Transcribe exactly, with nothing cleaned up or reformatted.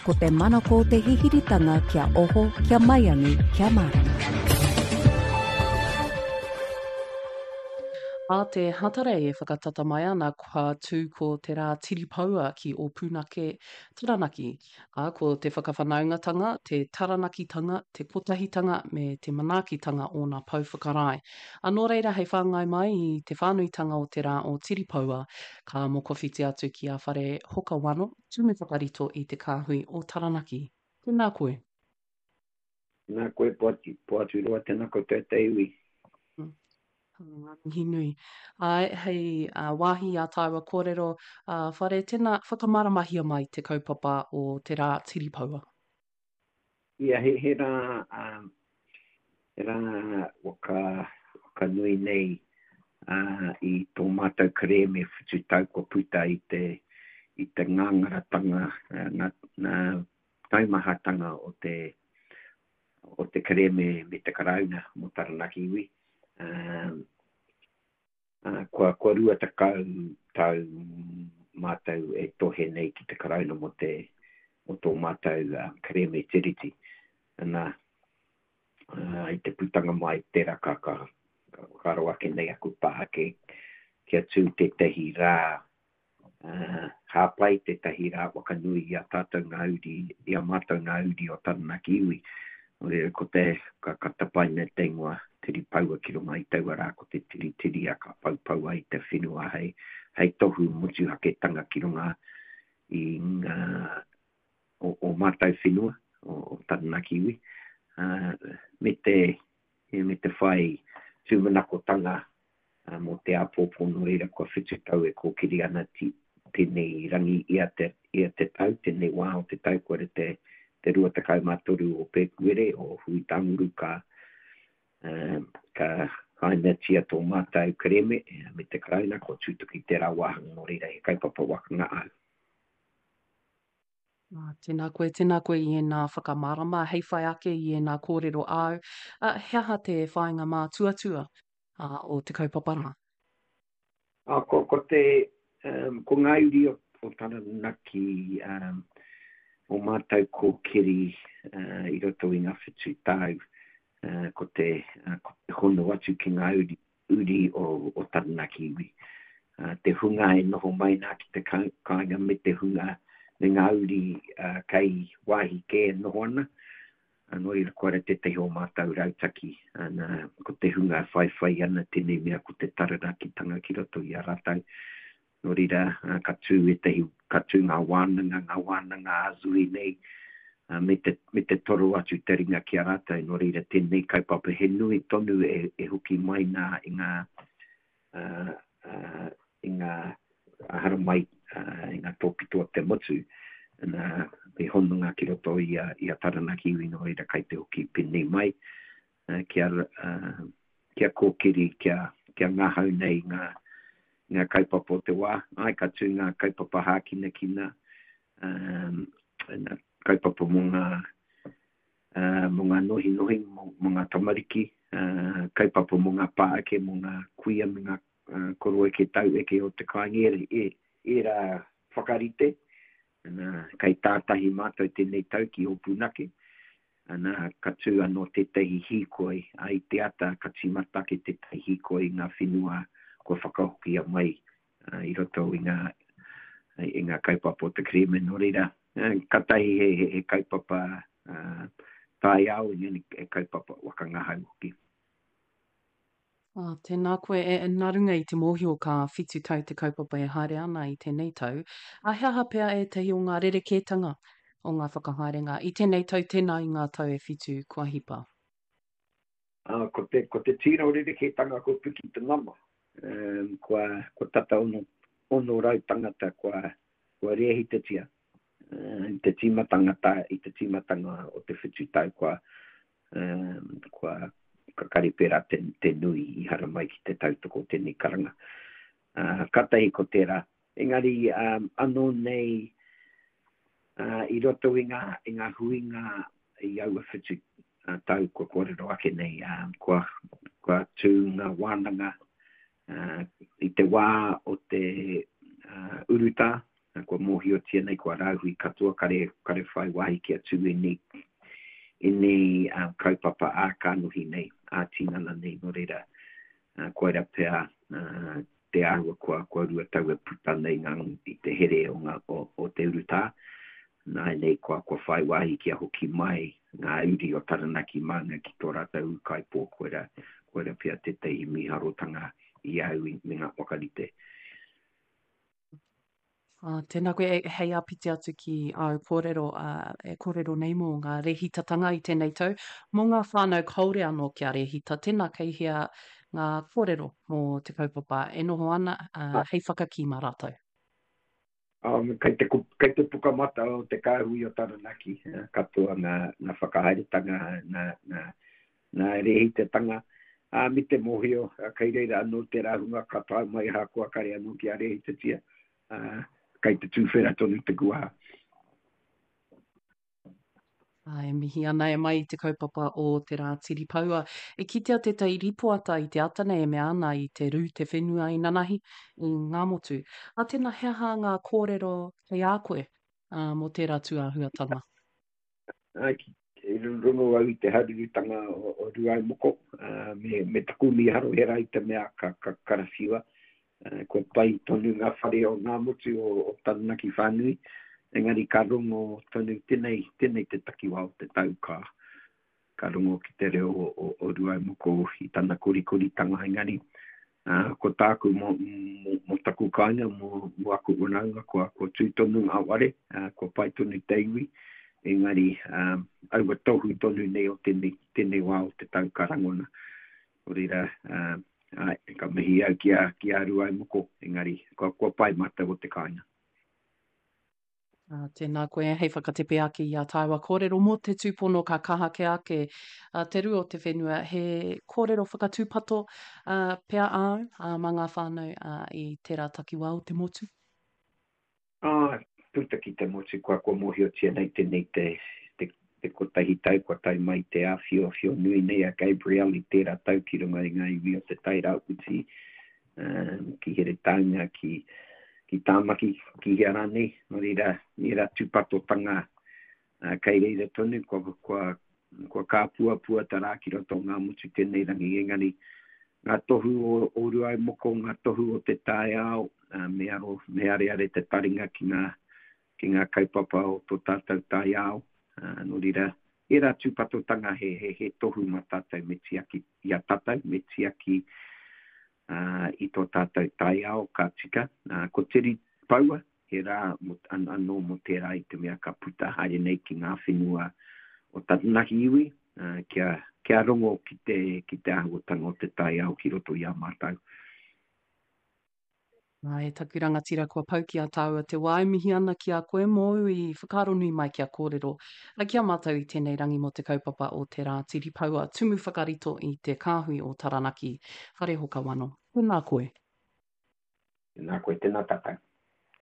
Ko te manako o te hihiritanga kia oho, kia maiangi, kia mārama. Ā te Hatarei e whakatata mai ana kua tū ko te rā tiripoua ki Ōpunake, Taranaki. Ā, ko te whakawhanaungatanga, te taranakitanga, te kotahitanga me te manaakitanga ōna pou whakarae. Ā, nō reira hei whāngai mai i te whānuitanga o te rā o Tiripoua, ka mokowhiti atu ki a Whare Hokawano, Tumu Whakarito i te Kāhui o Taranaki. Tēnā koe. Tēnā koe, Poaturoa, tēnā koutou te iwi. Ngā mihi nui. Āe, hei wāhi i ā tāua kōrero, Whare, tēnā, whakamāramahia mai te kaupapa o te rā tiripoua. Ia, he, he rā, um, he rā waka, waka nui nei uh, i tō mātou kerēme whitu tau kua puta i te, i te ngangaratanga, uh, ngā, ngā taumahatanga o te, o te kerēme me te Karauna mō Taranaki iwi. Um, uh, kua, kua rua tekau tau mātou e tohe nei ki te Karauna mō te, mō tō mātou uh, kerēme tiriti. Ana, uh, i te putanga mai tērā ka, ka, ka whakaaro ake nei aku pāke kia tū tētahi rā uh, hāpai tētahi rā wakanui i a tātou ngā uri, i a mātou ngā uri o Taranaki iwi. Nō reira, ko te, ka, ka tapaina te ingoa tiripoua ki runga i taua rā, ko te tiritiria ka poupoua i te whenua hei, hei tohu motuhaketanga ki runga i ngā, o, o mātou whenua, o, o Taranaki iwi, uh, me te, me te whai tūmanakotanga uh, mō te āpōpō, nō reira kua whitu tau e kōkiri ana ti, tēnei rangi ia te, ia te tau, tēnei wā o te tau, kua te, te rua tekau mā toru o Pēpuere, o Huitanguru, ka, uh, ka hainatia tō mātou kerēme me te Karauna, kua tutuki tērā wāhanga, nō reira he kaupapa waka ngahau. Ah, tēnā koe, tēnā koe i ēnā whakamārama, hei whai ake i ēnā kōrero āu. Uh, he aha te whāinga mātuatua uh, o te kaupapa rā? Ah, ko, ko te, um, ko ngā uri o, o Taranaki, um, o mātou kōkiri uh, i roto i ngā whitu tau, uh, ko te, uh, ko te hono atu ki ngā uri, uri o, o Taranaki iwi. Uh, te hunga e noho mai nā ki te kāinga me te hunga me ngā uri uh, kei wāhi kē e noho ana. Uh, nō reira koira tētahi o mātou rautaki. Ana, ko te hunga e whaiwhai ana tēnei mea ko te Taranakitanga ki roto i a rātou. Nō reira, uh, ka tū ētahi, ka tū ngā wānanga, ngā wānanga ā-zui nei, uh, me te, me te toro atu te ringa ki a rātou. Nō reira, tēnei kaupapa he nui tonu e, e hoki mai nā i ngā, uh, uh, i ngā haramai uh, i ngā tōpito o te motu, na, me hononga ki roto i a, i a Taranaki iwi, nō reira kai te hoki pēnei mai, uh, kia, uh, kia kōkiri, kia, kia ngahau nei ngā, ngā kaupapa o te wā. Ai, ka tū ngā kaupapa hākinakina, um, ngā kaupapa mō ngā, uh, mō ngā nohinohi, mō, mō ngā tamariki, uh, kaupapa mō ngā pāeke, mō ngā kuia me ngā uh, koroeke taueke o te kāinga, e, ērā whakarite. Ana, kei tātahi mātou tēnei tau ki Ōpunake. Ana, ka tū anō tētahi hīkoi, a i te ata ka tīmata ake tētahi hīkoi i ngā whenua kua whakahokia mai uh, i roto i ngā, i ngā kaupapa o te kerēme. Nō reira, uh, katahi he, he, he kaupapa uh, taiao, engari he kaupapa waka ngahau hoki. Ah, tēnā koe, e, nā runga i te mōhio ka whitu tau te kaupapa e haere ana i tēnei tau, a he aha pea ētahi o ngā rerekētanga o ngā whakahaerenga i tēnei tau tēnā i ngā tau e whitu kua hipa? Ah, ko te, ko te tino rerekētanga kua piki te nama. Um, kua, kua tata ono, ono rau tangata kua, kua rēhitatia. Uh, i te tīmatanga ta, i te tīmatanga o te whitu tau kua, um, kua ka kare pērā te, te nui i haramai ki te tautoko tēnei karanga. Uh, katahi ko tērā. Engari um, anō nei uh, i roto i ngā, i ngā huinga i aua whitu uh, tau kua kōrero ake nei, uh, kua, kua tū ngā wānanga uh, i te wā o te uh, urutā, Kua mōhiotia nei, kua rāhui katoa, kare, kare whai wāhi kia tū ēnei, ēnei um, kaupapa ā-kānohi nei, ā-tinana nei, nō reira, uh, koira pea uh, te āhua kua, kua rua tau e puta nei ngā, i te here o, ngā, o, o te urutā. Nā nei kua, kua whai wāhi kia hoki mai ngā uri o Taranaki Maunga ki tō rātou ūkaipō, koira, koira pea tētahi mīharotanga i au i, me ngā whakarite. Uh, tēnā koe, e, hei āpiti atu ki āu kōrero, uh, e kōrero nei mō ngā rēhitatanga i tēnei tau, mō ngā whānau kāore anō kia rēhita, tēnā kei hea ngā kōrero mō te kaupapa e noho ana uh, hei whakakī mā rātou. Um, kei te, kei te pukamata o te kāhui o Taranaki, katoa ngā, ngā whakahaeretanga, ngā, ngā, ngā rēhitatanga, ā, me te mōhio, kei reira anō te rāhunga ka tae mai ahakoa kare anō kia rēhitatia, ā, kei te tūwhera tonu te kuaha. Ā, e mihi ana e mai i te kaupapa o te Rā Tiripoua. E kitea tētahi ripoata i te ata nei e mea ana i te rū te whenua i nanahi i Ngāmotu. Ā, tēnā he aha ngā kōrero kei a koe ā, mō tērā tūāhuatanga? Ā, ki, e rongo au i te harurutanga o, o Rūaumoko, ā, me, me taku mīharo he rā i te mea ka, ka karawhiua. Ā, kua pai tonu ngā whare o Ngāmotu o, o Taranaki whānui, engari ka rongo tonu tēnei, tēnei te takiwā o te tau ka, ka rongo ki te reo o, o, o Rūaumoko i tana korikoritanga, engari uh, ko tāku mō, mō, mō taku kāinga, mō, mō aku whanaunga, kua, kua tū tonu ngā ware, uh, kua pai tonu te iwi, engari um, aua tohu tonu nei o tēnei, tēnei wā o te tau ka rangona. Nō reira, uh, ai, ka mihi au ki a, ki a Rūaumoko, engari kua, kua pai mātou o te kāinga. Uh, tēnā koe, hei whakatepe ake i a tāua kōrero mō te tūpono ka kaha kē ake uh, te rū o te whenua, he kōrero whakatūpato uh, pea āu uh, mā ngā whānau uh, i tērā takiwā o te motu? Ah, puta ki te motu, kua, kua mōhiotia nei tēnei te, te, te kotahi tau, kua tae mai te āwhiowhio nui nei a Gabrielle i tērā tau ki runga i ngā iwi o te Tai Rāwhiti, um, ki Heretaunga, ki, ki Tāmaki, ki hea rānei. Nō reira, ērā tūpatotanga uh, kei reira tonu, kua, kua, kua kāpuapua ta rā ki roto o ngā motu tēnei rangi, engari ngā tohu o, o Rūaumoko, ngā tohu o te taiao, uh, me aro, me areare te taringa ki ngā, ki ngā kaupapa o tō tātou taiao. Uh, nō reira, ērā tūpatotanga he, he, he tohu mā tātou me tiaki i a tātou, me tiaki uh, i tō tātou taiao ka tika. Uh, ko Tiripoua, he rā mo, an, anō mō tērā i te mea ka puta haere nei ki ngā whenua o Taranaki iwi, uh, kia, kia rongo ki te, ki te āhuatanga o te taiao ki roto i a mātou. Nā, e taku rangatira kua pau ki a tāua te wā, e mihi ana ki a koe mōu i whakaaro nui mai kia kōrero ki a mātou i tēnei rangi mō te kaupapa o te Rā Tiripoua, tumu whakarito i te kāhui o Taranaki, Wharehoka Wano. Tēnā koe. Tēnā koe, tēnā tātou.